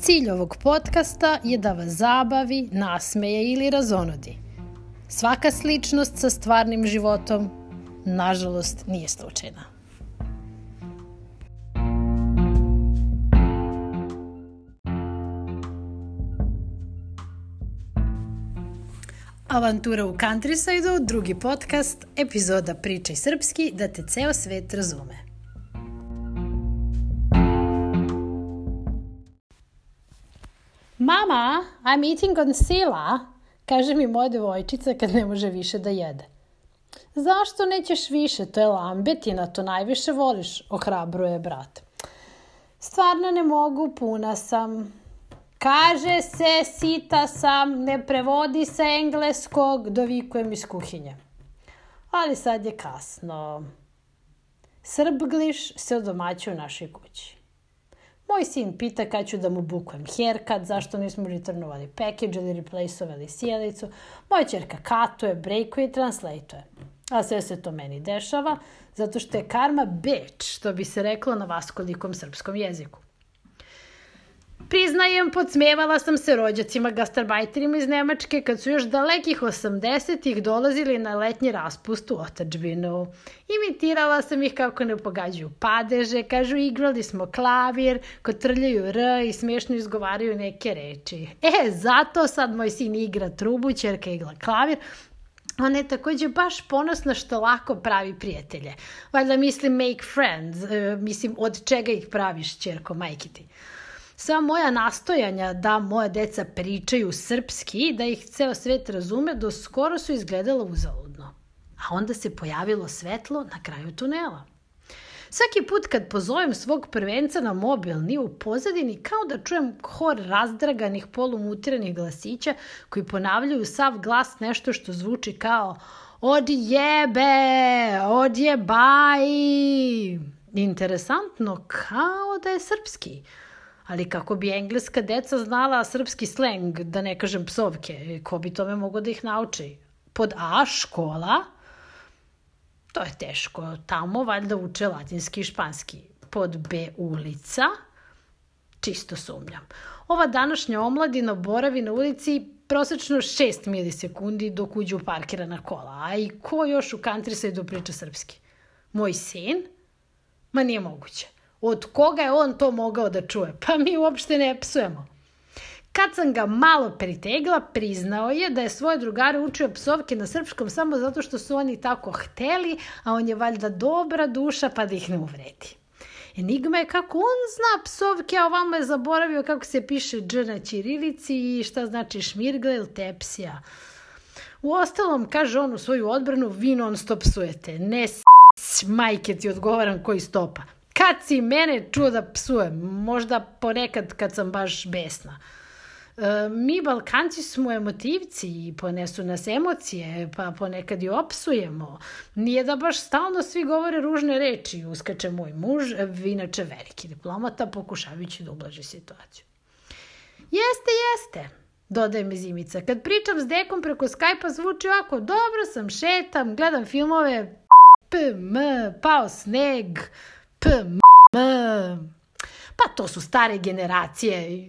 Cilj ovog podcasta je da vas zabavi, nasmeje ili razonodi. Svaka sličnost sa stvarnim životom, nažalost, nije slučajna. Avantura u Countryside-u, drugi podcast, epizoda Pričaj srpski da te ceo svet razume. Mama, I'm eating on sila, kaže mi moja devojčica kad ne može više da jede. Zašto nećeš više? To je lambetina, to najviše voliš, ohrabruje brat. Stvarno ne mogu, puna sam. Kaže se, sita sam, ne prevodi sa engleskog, dovikujem iz kuhinje. Ali sad je kasno. Srbgliš se odomaćuje u našoj kući. Moj sin pita kad ću da mu bukujem haircut, zašto nismo returnovali package ili replaceovali sjelicu. Moja ćerka katuje, breakuje i translateuje. A sve se to meni dešava, zato što je karma bitch, što bi se reklo na vaskolikom srpskom jeziku. Priznajem, podsmevala sam se rođacima gastarbajterima iz Nemačke kad su još dalekih 80-ih dolazili na letnji raspust u otadžbinu. Imitirala sam ih kako ne pogađaju padeže, kažu igrali smo klavir, kotrljaju r i smiješno izgovaraju neke reči. Zato sad moj sin igra trubu, ćerka igra klavir. Ona je također baš ponosna što lako pravi prijatelje. Valjda mislim make friends, mislim od čega ih praviš, ćerko, majke ti. Sva moja nastojanja da moja deca pričaju srpski, da ih ceo svet razume, do skoro su izgledala uzaludno. A onda se pojavilo svetlo na kraju tunela. Svaki put kad pozovem svog prvenca na mobilni, u pozadini kao da čujem hor razdraganih polumutiranih glasića koji ponavljaju sav glas nešto što zvuči kao odjebe, odjebaj. Interesantno, kao da je srpski. Ali kako bi engleska deca znala srpski sleng, da ne kažem psovke, ko bi tome mogo da ih nauči? Pod A škola, to je teško, tamo valjda uče latinski i španski. Pod B ulica, čisto sumnjam. Ova današnja omladina boravi na ulici prosečno 6 milisekundi dok uđe u parkirana kola. A i ko još u Countryside-u priča srpski? Moj sin? Ma nije moguće. Od koga je on to mogao da čuje? Pa mi uopšte ne psujemo. Kad sam ga malo pritegla, priznao je da je svoje drugare učio psovke na srpskom samo zato što su oni tako hteli, a on je valjda dobra duša pa da ih ne uvredi. Enigma je kako on zna psovke, a ovamo je zaboravio kako se piše dž na ćirilici i šta znači šmirgla ili tepsija. Uostalom, kaže on u svoju odbranu, vi non stop psujete. Ne majke ti odgovaram koji stopa. Kad si mene čuo da psujem? Možda ponekad kad sam baš besna. Mi Balkanci smo emotivci i ponesu nas emocije, pa ponekad i opsujemo. Nije da baš stalno svi govore ružne reči, uskače moj muž, inače veliki diplomata, pokušavajući da ublaži situaciju. Jeste, dodaje mi Zimica. Kad pričam s dekom preko Skype-a zvuči ovako, dobro sam, šetam, gledam filmove, pao sneg, pa to su stare generacije.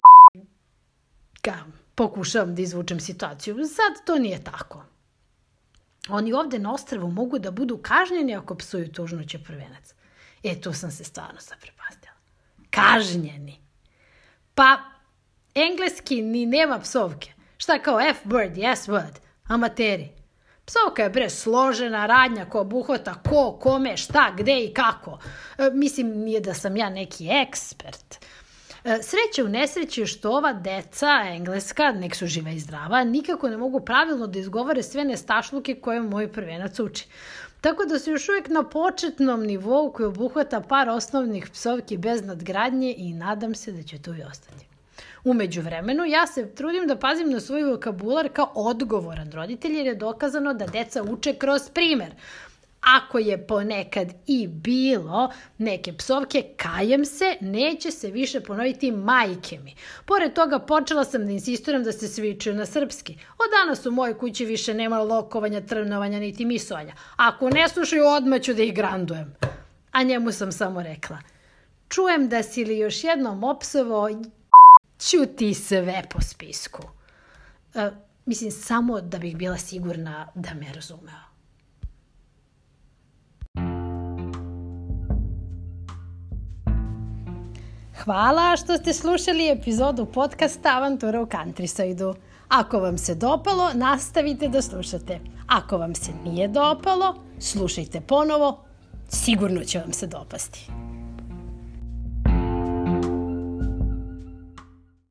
Pokušavam da izvučem situaciju. Sad to nije tako. Oni ovde na ostrvu mogu da budu kažnjeni ako psuju tužnoće prvenac. Tu sam se stvarno zaprepastila. Kažnjeni. Pa engleski ni nema psovke. Šta kao F-word, yes-word, amateri. Psovka je bre složena radnja koja obuhvata ko, kome, šta, gde i kako. Mislim, nije da sam ja neki ekspert. Sreće u nesreći je što ova deca engleska, nek su živa i zdrava, nikako ne mogu pravilno da izgovore sve nestašluke koje moj prvenac uči. Tako da su još uvijek na početnom nivou koji obuhvata par osnovnih psovki bez nadgradnje i nadam se da će to i ostati. U međuvremenu ja se trudim da pazim na svoj vokabular kao odgovoran roditelj jer je dokazano da deca uče kroz primer. Ako je ponekad i bilo neke psovke, kajem se, neće se više ponoviti majke mi. Pored toga počela sam da insistiram da se svi čuju na srpski. Od danas u mojoj kući više nema lokovanja, trnovanja niti misovanja. Ako ne slušaju, odmah ću da ih grandujem. A njemu sam samo rekla, čujem da si li još jednom opsovao Ćuti sve po spisku. Mislim, samo da bih bila sigurna da me razumeo. Hvala što ste slušali epizodu podcasta Avantura u Countryside-u. Ako vam se dopalo, nastavite da slušate. Ako vam se nije dopalo, slušajte ponovo, sigurno će vam se dopasti.